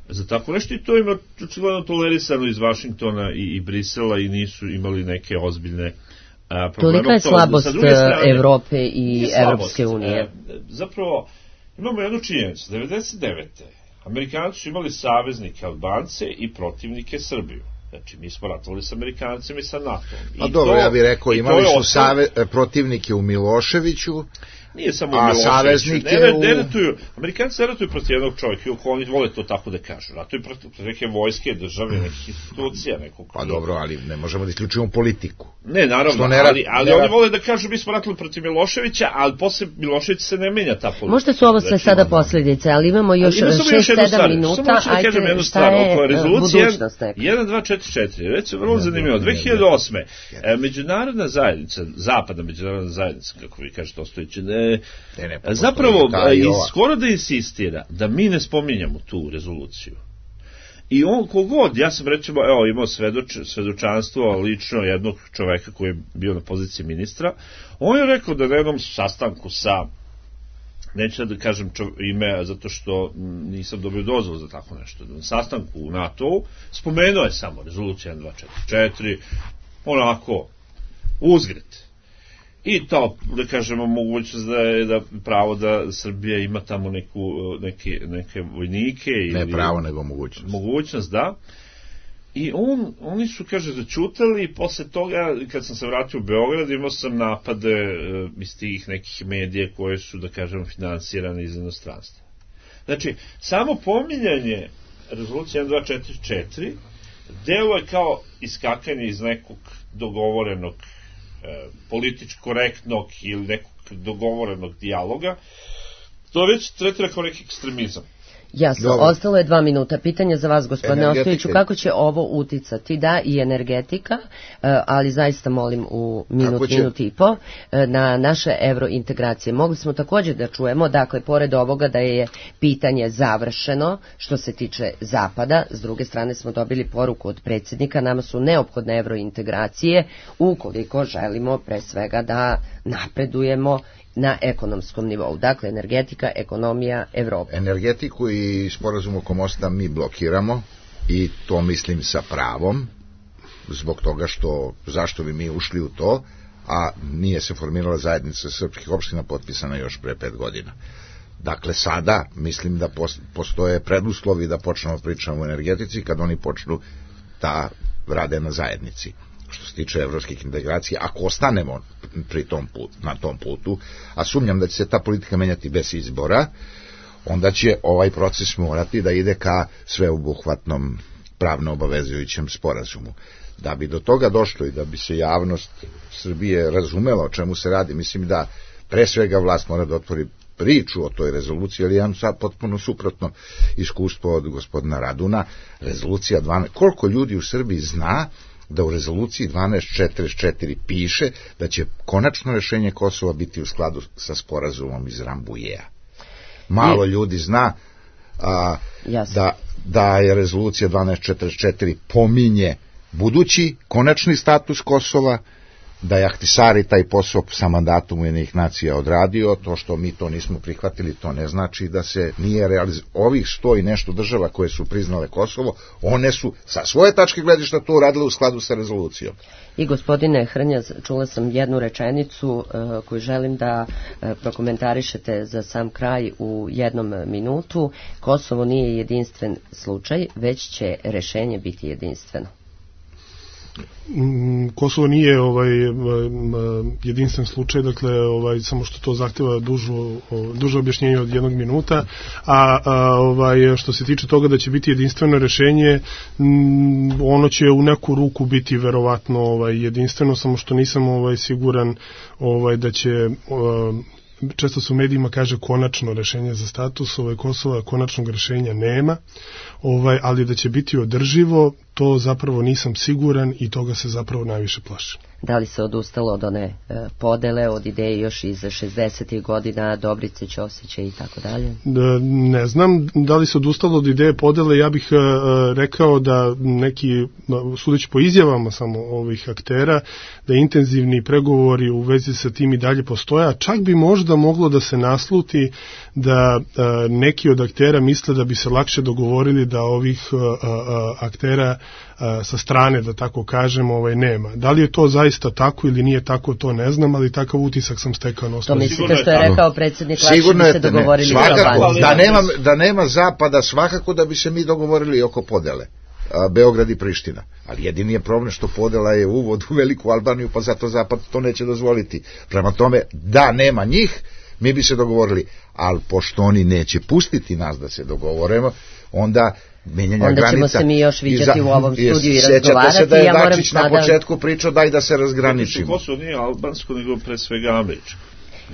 za tako nešto, i to ima očigledno tolerisano iz Vašingtona i Brisela i nisu imali neke ozbiljne probleme. Tolika je slabost Evrope i Evropske unije. Zapravo, imamo jednu činjenicu, 99. Amerikanci su imali saveznike Albance i protivnike Srbiju. Znači, mi smo ratovali s Amerikancima i sa NATO-om. A dobro, ja bih rekao, imali su protivnike u Miloševiću, nije samo u Miloševiću. Amerikanci ne ratuju protiv jednog čovjeka, iako oni vole to tako da kažu. Ratuju protiv neke vojske, države, nekih institucija, nekog... Pa dobro, ali ne možemo da isključujemo politiku. Ne, naravno, ali oni vole da kažu mi smo ratili protiv Miloševića, ali posle Miloševića se ne menja ta politika. Možda su ovo sve sada posljedice, ali imamo još 6-7 minuta, ajte, šta je budućnost? 1244, reći vrlo zanimljivo, 2008. Međunarodna zajednica, zapadna međunarodna zajednica, kako vi kažete, ostojiće, zapravo skoro da insistira da mi ne spominjamo tu rezoluciju I on kogod, ja sam recimo imao svedočanstvo lično jednog čoveka koji je bio na poziciji ministra, on je rekao da na jednom sastanku sa, neću da kažem ime zato što nisam dobio dozvolu za tako nešto, na sastanku u NATO-u spomenuo je samo rezolucija 1244, onako uzgred. I to, da kažemo, mogućnost da pravo da Srbija ima tamo neke vojnike. Ne pravo, nego mogućnost. Mogućnost, da. I oni su, kaže, začutali i posle toga, kad sam se vratio u Beograd, imao sam napade iz tih nekih medija koje su, da kažemo, finansirane iz inostranstva. Znači, samo pominjanje rezolucije 1244 delo je kao iskakanje iz nekog dogovorenog političko korektnog ili nekog dogovorenog dijaloga, to već tretira kao neki ekstremizam. Jasno, ostalo je 2 minuta. Pitanje za vas, gospodine Ostojiću, kako će ovo uticati? Da, i energetika, ali zaista molim u minut i po, na naše evrointegracije. Mogli smo također da čujemo, dakle, pored ovoga da je pitanje završeno što se tiče Zapada, s druge strane smo dobili poruku od predsjednika, nama su neophodne evrointegracije ukoliko želimo pre svega da napredujemo na ekonomskom nivou. Dakle, energetika, ekonomija, Evropa. Energetiku i sporazum oko mosta mi blokiramo i to mislim sa pravom, zbog toga zašto bi mi ušli u to, a nije se formirala zajednica srpskih opština potpisana još pre 5 godina. Dakle, sada mislim da postoje preduslovi da počnemo pričamo o energetici kad oni počnu da rade na zajednici. Što se tiče evropskih integracija, ako ostanemo na tom putu, a sumnjam da će se ta politika menjati bez izbora, onda će ovaj proces morati da ide ka sveobuhvatnom pravno obavezujućem sporazumu. Da bi do toga došlo i da bi se javnost Srbije razumela o čemu se radi, mislim da pre svega vlast mora da otvori priču o toj rezoluciji, ali imam sad potpuno suprotno iskustvo od gospodina Raduna. Rezolucija 12, koliko ljudi u Srbiji zna da u rezoluciji 1244 piše da će konačno rešenje Kosova biti u skladu sa sporazumom iz Rambujea. Malo ljudi zna da je rezolucija 1244 pominje budući konačni status Kosova, da je Ahtisari taj posao sa mandatom Ujedinjenih nacija odradio. To što mi to nismo prihvatili, to ne znači da se nije realizovalo. Ovih 100 i nešto država koje su priznale Kosovo, one su sa svoje tačke gledišta to uradile u skladu sa rezolucijom. I gospodine Hrnjaz, čula sam jednu rečenicu koju želim da prokomentarišete za sam kraj u 1 minutu. Kosovo nije jedinstven slučaj, već će rešenje biti jedinstveno. Kosovo nije jedinstven slučaj, dakle samo što to zahteva duže objašnjenje od 1 minuta, a što se tiče toga da će biti jedinstveno rešenje, ono će u neku ruku biti verovatno jedinstveno, samo što nisam siguran da će često se u medijima kaže konačno rešenje za status Kosova, konačnog rešenja nema, ali da će biti održivo, to zapravo nisam siguran i toga se zapravo najviše plašim. Da li se odustalo od one podele, od ideje još iz 60. godina, Dobrice, Ćosiće i tako dalje? Ne znam da li se odustalo od ideje podele, ja bih rekao da neki, sudeći po izjavama samo ovih aktera, da intenzivni pregovori u vezi sa tim i dalje postoje, a čak bi možda moglo da se nasluti da neki od aktera misle da bi se lakše dogovorili da ovih aktera sa strane, da tako kažem, nema. Da li je to zaista tako ili nije tako, to ne znam, ali takav utisak sam stekao na osnovu. To mislite što je rekao predsjednik, lakše bi se dogovorili svakako, da nema zapada, svakako da bi se mi dogovorili oko podele. Beograd i Priština. Ali jedini je problem što podela je uvod u Veliku Albaniju, pa zato zapad to neće dozvoliti. Prema tome, da nema njih, mi bi se dogovorili, ali pošto oni neće pustiti nas da se dogovorimo, onda menjanja granica. Onda ćemo se mi još viđati u ovom studiju i razgovarati. Sjećate se da je Dačić na početku pričao daj da se razgraničimo. Kosovo nije albansko, nego pre svega američko.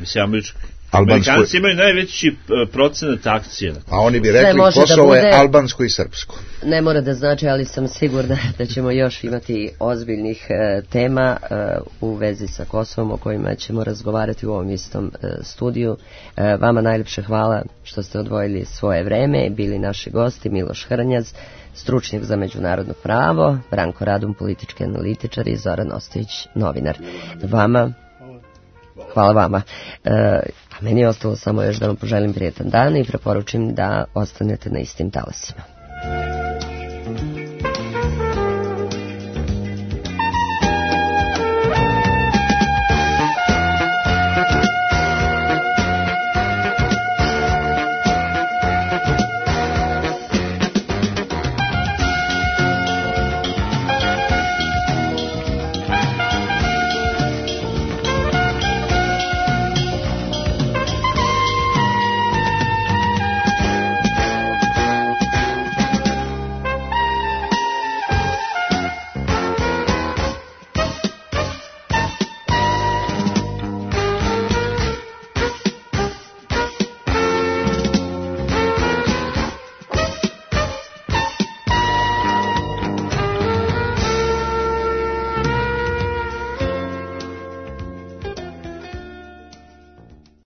Mislim, američki Amerikanci imaju najveći procenat akcije. A oni bi rekli Kosovo je albansko i srpsko. Ne mora da znači, ali sam sigurna da ćemo još imati ozbiljnih tema u vezi sa Kosovom o kojima ćemo razgovarati u ovom istom studiju. Vama najljepše hvala što ste odvojili svoje vreme, bili naši gosti Miloš Hrnjaz, stručnjak za međunarodno pravo, Branko Radun, politički analitičar i Zoran Ostojić, novinar. Hvala vama. A meni je ostalo samo još da vam poželim prijetan dan i preporučim da ostanete na istim talasima.